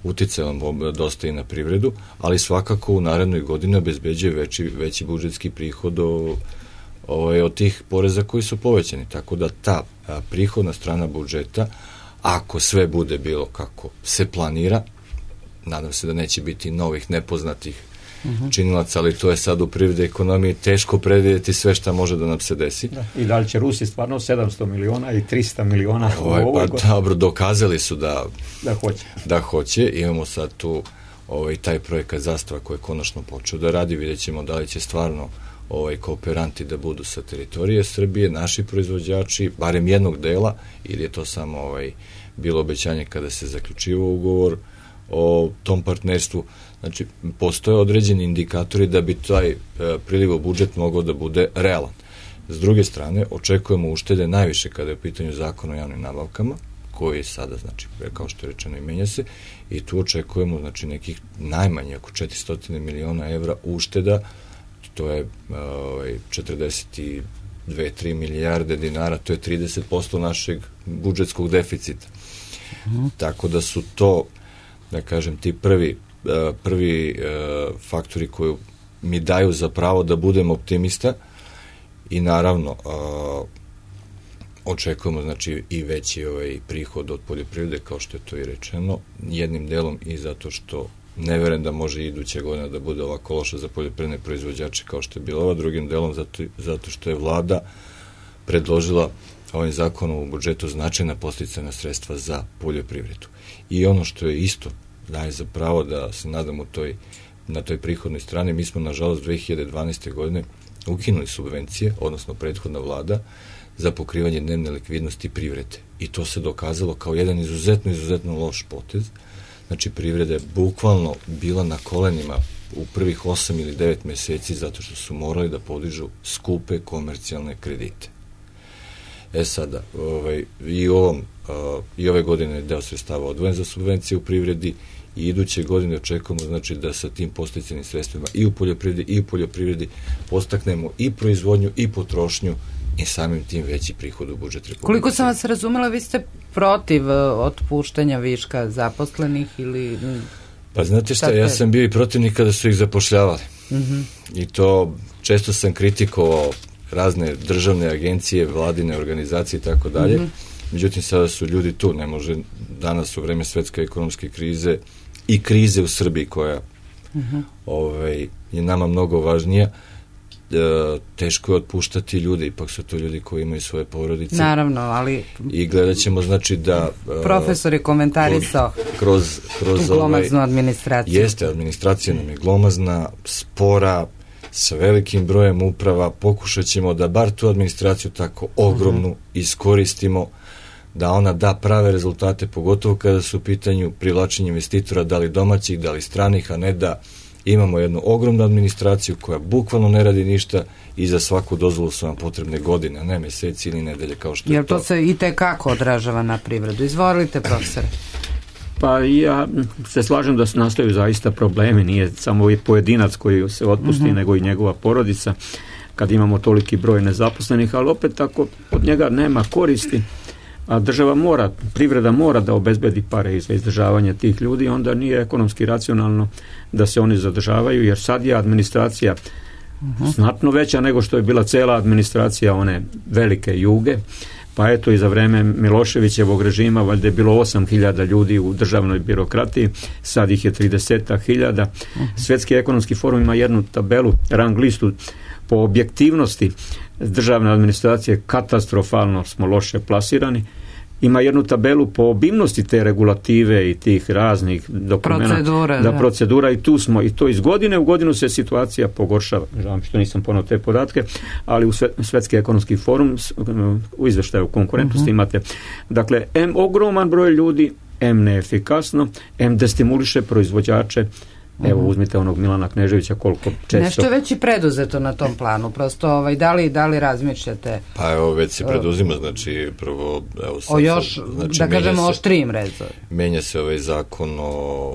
uticalo dosta i na privredu, ali svakako u narednoj godini obezbeđuje veći budžetski prihod od tih poreza koji su povećani, tako da ta prihodna strana budžeta, ako sve bude bilo kako se planira, nadam se da neće biti novih nepoznatih činilaca, ali to je sad u privredi ekonomiji teško predvidjeti sve šta može da nam se desi. I da li će Rusi stvarno 700 miliona i 300 miliona u ovoj godini? Dobro, dokazali su da hoće. Imamo sad tu taj projekat Zastava koji je konačno počeo da radi, vidjet ćemo da li će stvarno kooperanti da budu sa teritorije Srbije, naši proizvođači, barem jednog dela, ili je to samo bilo obećanje kada se zaključivao ugovor o tom partnerstvu. Znači, postoje određeni indikatori da bi taj priliv u budžet mogao da bude realan. S druge strane, očekujemo uštede najviše kada je u pitanju zakona o javnim nabavkama, koji sada, znači, kao što je rečeno, i menja se, i tu očekujemo, znači, nekih najmanje oko 400 miliona evra ušteda, to je 42-3 milijarde dinara, to je 30% našeg budžetskog deficita. Tako da su to, da kažem, ti prvi faktori koji mi daju za pravo da budem optimista i naravno očekujemo, znači, i veći prihod od poljoprivrede, kao što je to i rečeno, jednim delom i zato što ne verujem da može iduća godina da bude ovako loša za poljoprivredne proizvođače kao što je bila ova, drugim delom zato što je vlada predložila ovim zakonom u budžetu značajna podsticajna sredstva za poljoprivredu. I ono što je isto daje za pravo da se nadamo na toj prihodnoj strani, mi smo nažalost 2012. godine ukinuli subvencije, odnosno prethodna vlada, za pokrivanje dnevne likvidnosti privrede. I to se dokazalo kao jedan izuzetno loš potez. Znači, privreda je bukvalno bila na kolenima u prvih 8 ili 9 meseci zato što su morali da skupe komercijalne kredite. Sada, i ove godine je deo sredstava odvojen za subvencije u privredi i iduće godine očekujemo, znači, da sa tim podsticajnim sredstvima i u poljoprivredi postaknemo i proizvodnju i potrošnju i samim tim veći prihod u budžet Republike. Koliko sam vas razumela, vi ste protiv otpuštanja viška zaposlenih ili... Pa znate šta, ja sam bio i protivnik kada su ih zapošljavali. I to često sam kritikovao razne državne agencije, vladine organizacije i tako dalje. Međutim, sada su ljudi tu, ne može danas u vreme svetske ekonomske krize i krize u Srbiji koja je nama mnogo važnija, teško je otpuštati ljude, ipak su to ljudi koji imaju svoje porodice. Naravno, ali... I gledat ćemo, znači, da... Profesor je komentarisao kroz tu glomaznu administraciju. Jeste, administracija nam je glomazna, spora, sa velikim brojem uprava, pokušat ćemo da bar tu administraciju tako ogromnu iskoristimo, da ona da prave rezultate, pogotovo kada su u pitanju privlačenja investitora, da li domaćih, da li stranih, a ne da imamo jednu ogromnu administraciju koja bukvalno ne radi ništa i za svaku dozvolu su nam potrebne godine, a ne meseci ili nedelje kao što je to. Jer to se i tekako odražava na privredu. Izvolite, profesore. Pa ja se slažem da se nastaju zaista problemi, nije samo i pojedinac koji se otpusti, nego i njegova porodica, kad imamo toliki broj nezaposlenih, ali opet ako od njega nema koristi, a privreda mora da obezbedi pare za izdržavanje tih ljudi, onda nije ekonomski racionalno da se oni zadržavaju, jer sad je administracija znatno veća nego što je bila cela administracija one velike Juge, pa eto i za vreme Miloševićevog režima valjda je bilo 8.000 ljudi u državnoj birokratiji, sad ih je 30.000. Svetski ekonomski forum ima jednu tabelu, rang listu po objektivnosti državne administracije, katastrofalno smo loše plasirani ima jednu tabelu po obimnosti te regulative i tih raznih dokumenta, procedura i tu smo, i to iz godine u godinu se situacija pogoršava. Žao mi što nisam ponao te podatke, ali u Svetski ekonomski forum u izveštaju konkurentnosti imate. Dakle, ogroman broj ljudi, neefikasno, destimuliše proizvođače. Evo, uzmite onog Milana Kneževića, koliko često... Nešto je već i preduzeto na tom planu, prosto da li razmišljate? Pa evo, već se preduzima, znači prvo... Evo, sad, još, znači, da kažemo, oštrijim rezovi. Menja se ovaj zakon o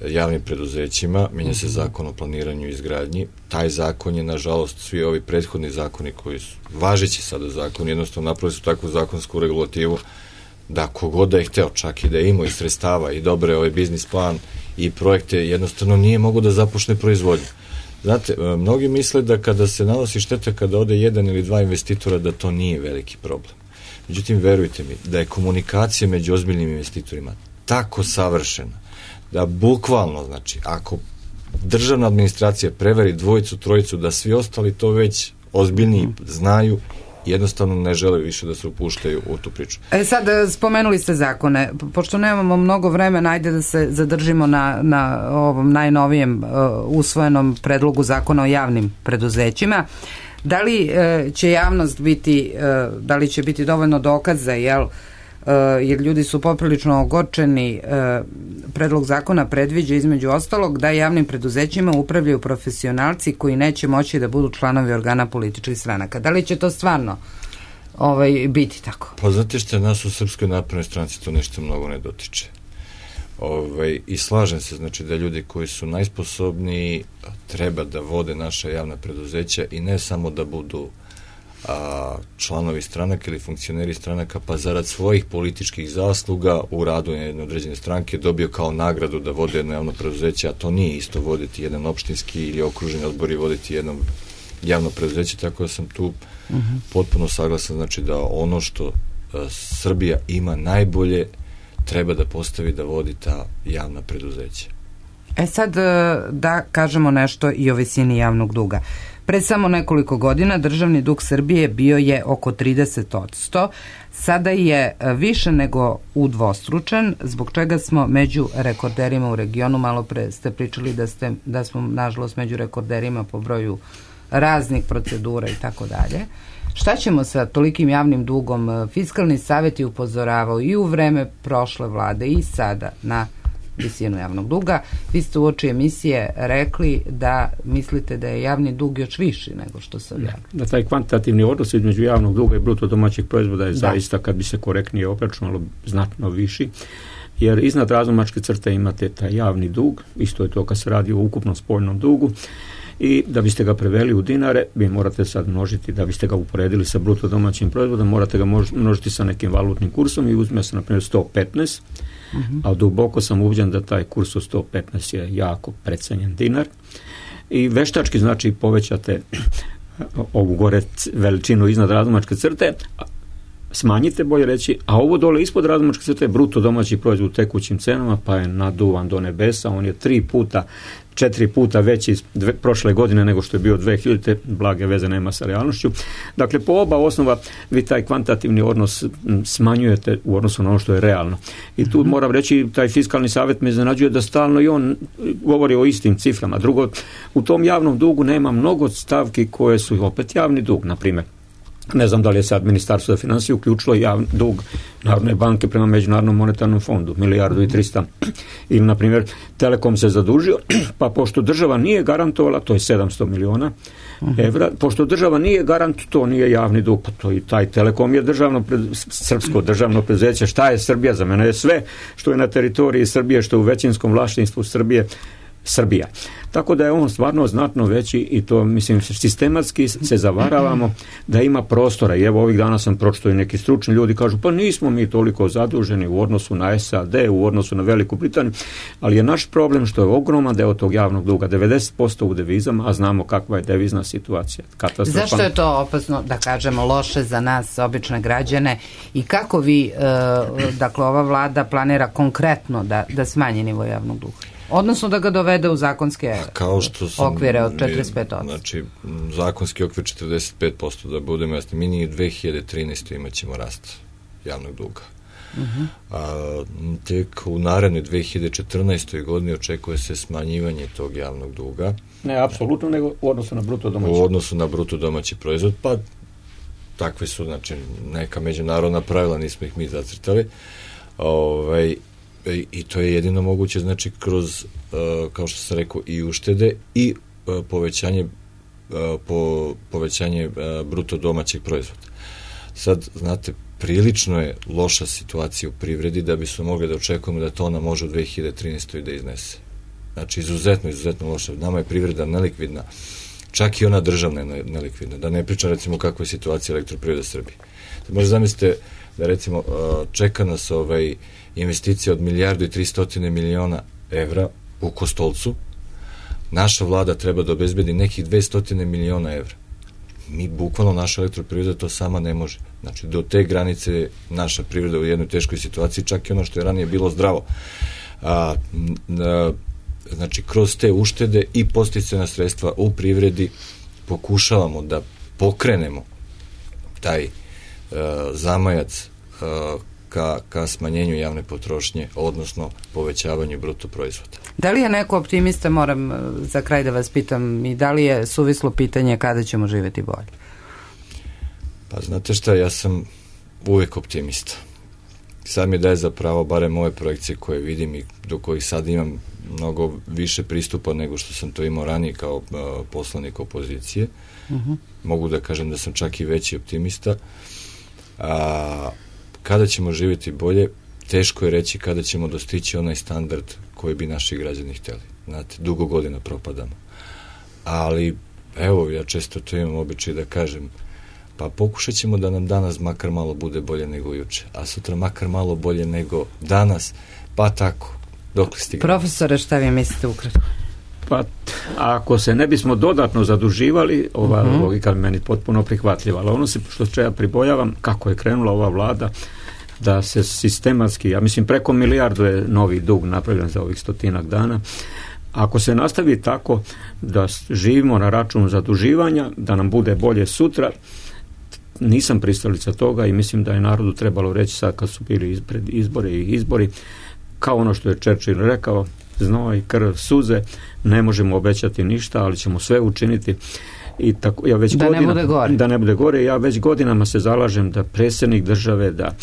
javnim preduzećima, menja se zakon o planiranju i izgradnji. Taj zakon je, nažalost, svi ovi prethodni zakoni koji su važeći sada zakon, jednostavno napravili su takvu zakonsku regulativu da kogod da je hteo, čak i da je imao i sredstava i dobre ovaj biznis plan i projekte, jednostavno nije mogo da započne proizvodnju. Znate, mnogi misle da kada se nanosi šteta, kada ode jedan ili dva investitora, da to nije veliki problem. Međutim, verujte mi, da je komunikacija među ozbiljnim investitorima tako savršena, da bukvalno, znači, ako državna administracija preveri dvojicu, trojicu, da svi ostali to već ozbiljniji znaju, jednostavno ne žele više da se upuštaju u tu priču. Sad, spomenuli ste zakone. Pošto nemamo mnogo vremena, ajde da se zadržimo na ovom najnovijem usvojenom predlogu zakona o javnim preduzećima. Da li će javnost biti, da li će biti dovoljno dokaza, jer ljudi su poprilično ogorčeni. Predlog zakona predviđa između ostalog da javnim preduzećima upravljaju profesionalci koji neće moći da budu članovi organa političkih stranaka. Da li će to stvarno biti tako? Pa znate što, nas u Srpskoj naprednoj stranci to nešto mnogo ne dotiče. I slažem se, znači, da ljudi koji su najsposobniji treba da vode naša javna preduzeća i ne samo da budu članovi stranaka ili funkcioneri stranaka, pa zarad svojih političkih zasluga u radu jedne određene stranke dobio kao nagradu da vode jedno javno preduzeće, a to nije isto voditi jedan opštinski ili okruženi odbor i voditi jedno javno preduzeće, tako da sam tu potpuno saglasan, znači da ono što Srbija ima najbolje treba da postavi da vodi ta javna preduzeća. Sad da kažemo nešto i o visini javnog duga. Pre samo nekoliko godina državni dug Srbije bio je oko 30%, sada je više nego udvostručen, zbog čega smo među rekorderima u regionu. Malo pre ste pričali da smo nažalost među rekorderima po broju raznih procedura i tako dalje. Šta ćemo sa tolikim javnim dugom? Fiskalni savet je upozoravao i u vreme prošle vlade i sada na visinu javnog duga. Vi ste uoči emisije rekli da mislite da je javni dug još viši nego što se objavlja. Da taj kvantitativni odnos između javnog duga i bruto domaćeg proizvoda je zaista, kad bi se korektnije obračunalo, znatno viši, jer iznad razlomačke crte imate taj javni dug, isto je to kad se radi o ukupnom spoljnom dugu, i da biste ga preveli u dinare, vi morate sad množiti, da biste ga uporedili sa bruto domaćim proizvodom, morate ga množiti sa nekim valutnim kursom i uzme se, na primjer, 115, a duboko sam ubeđen da taj kurs od 115 je jako precenjen dinar i veštački, znači, povećate ovu gore veličinu iznad razlomačke crte, smanjite, bolje reći, a ovo dole ispod razlomačke crte bruto domaći proizvod u tekućim cenama, pa je naduvan do nebesa, on je 4 puta veći prošle godine nego što je bio 2000. Blage veze nema sa realnošću. Dakle, po oba osnova vi taj kvantitativni odnos smanjujete u odnosu na ono što je realno. I tu moram reći, taj fiskalni savjet me iznenađuje da stalno i on govori o istim ciframa. Drugo, u tom javnom dugu nema mnogo stavki koje su opet javni dug, na primjer. Ne znam da li je sad Ministarstvo za financije uključilo javni dug Narodne banke prema Međunarodnom monetarnom fondu, 1,3 milijarde. Ili, na primjer, Telekom se zadužio, pa pošto država nije garantovala, to je 700 miliona evra, pošto država nije garant, to nije javni dug, pa to i taj Telekom je srpsko državno preduzeće. Šta je Srbija? Za mene je sve što je na teritoriji Srbije, što je u većinskom vlasništvu Srbija. Tako da je on stvarno znatno veći i to, mislim, sistematski se zavaravamo da ima prostora. I evo, ovih dana sam pročitao i neki stručni ljudi kažu, pa nismo mi toliko zaduženi u odnosu na SAD, u odnosu na Veliku Britaniju, ali je naš problem što je ogroman deo tog javnog duga, 90% u devizama, a znamo kakva je devizna situacija. Zašto je to opasno, da kažemo, loše za nas, obične građane, i kako vi, dakle, ova vlada planira konkretno da smanji nivo javnog duga? Odnosno da ga dovede u zakonske okvire od 45%. Znači, zakonski okvir 45%, da budemo jasni, mi ni u 2013. imat ćemo rast javnog duga. A tek u narednoj 2014. godini očekuje se smanjivanje tog javnog duga. Ne apsolutno, nego u odnosu na bruto domaći. U odnosu na bruto domaći proizvod, pa takve su, znači, neka međunarodna pravila, nismo ih mi zacrtali. I to je jedino moguće, znači, kroz, kao što sam rekao, i uštede i povećanje bruto domaćeg proizvoda. Sad, znate, prilično je loša situacija u privredi da bismo mogli da očekujemo da to ona može u 2013. da iznese. Znači, izuzetno loša. Nama je privreda nelikvidna. Čak i ona državna je nelikvidna. Da ne pričam, recimo, kakva je situacija Elektroprivrede Srbije. Možda zamislite da, recimo, čeka nas investicija od 1.300 miliona evra u Kostolcu. Naša vlada treba da obezbedi nekih 200 miliona evra. Mi, bukvalno, naša Elektroprivreda to sama ne može. Znači, do te granice naša privreda u jednoj teškoj situaciji, čak i ono što je ranije bilo zdravo. Znači, kroz te uštede i podsticajna sredstva u privredi pokušavamo da pokrenemo taj zamajac ka smanjenju javne potrošnje, odnosno povećavanju bruto proizvoda. Da li je neko optimista, moram za kraj da vas pitam, i da li je suvislo pitanje kada ćemo živjeti bolje? Pa znate šta, ja sam uvek optimista. Sad mi daje za pravo, barem ove projekcije koje vidim i do kojih sad imam mnogo više pristupa nego što sam to imao ranije kao poslanik opozicije. Mogu da kažem da sam čak i veći optimista. Kada ćemo živjeti bolje, teško je reći kada ćemo dostići onaj standard koji bi naši građani htjeli. Znate, dugo godina propadamo. Ali, evo, ja često to imam običaj da kažem, pa pokušat ćemo da nam danas makar malo bude bolje nego juče, a sutra makar malo bolje nego danas, pa tako, dok li stigne. Profesore, šta vi mislite ukratko? Pa, ako se ne bismo dodatno zaduživali, ova logika je meni potpuno prihvatljiva, ali ono što ja pribojavam, kako je krenula ova vlada, da se sistematski, ja mislim preko milijardu je novi dug napravljen za ovih 100 dana. Ako se nastavi tako da živimo na račun zaduživanja, da nam bude bolje sutra, nisam pristalica toga i mislim da je narodu trebalo reći sad kad su bili pred izbori, kao ono što je Churchill rekao, znoj, krv, suze, ne možemo obećati ništa, ali ćemo sve učiniti. I tako, ja već da ne bude gore. Ja već godinama se zalažem da predsjednik države, da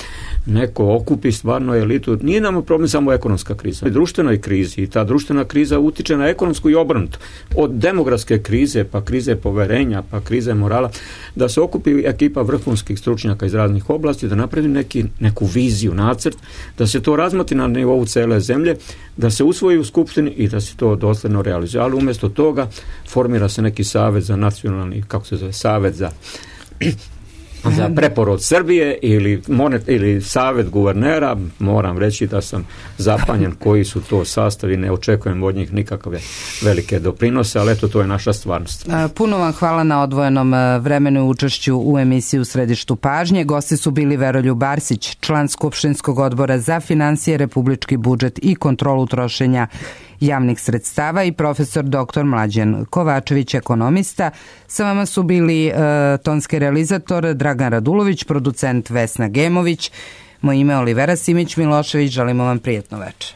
neko okupi stvarno elitu. Nije nam problem samo ekonomska kriza. U društvenoj krizi, i ta društvena kriza utiče na ekonomsku i obrnuto. Od demografske krize, pa krize poverenja, pa krize morala, da se okupi ekipa vrhunskih stručnjaka iz raznih oblasti, da napravi neku viziju, nacrt, da se to razmoti na nivou cele zemlje, da se usvoji u skupštini i da se to dosledno realizuje. Ali umjesto toga formira se neki savjet za nacionalni, kako se zove, savjet za preporod Srbije ili savjet guvernera. Moram reći da sam zapanjen koji su to sastavi, ne očekujem od njih nikakve velike doprinose, ali eto, to je naša stvarnost. Puno vam hvala na odvojenom vremenu i učešću u emisiji U središtu pažnje. Gosti su bili Veroljub Arsić, član Skupštinskog odbora za finansije, republički budžet i kontrolu trošenja javnih sredstava, i profesor dr. Mlađan Kovačević, ekonomista. Sa vama su bili tonski realizator Dragan Radulović, producent Vesna Gemović. Moje ime je Olivera Simić Milošević, želimo vam prijatno večer.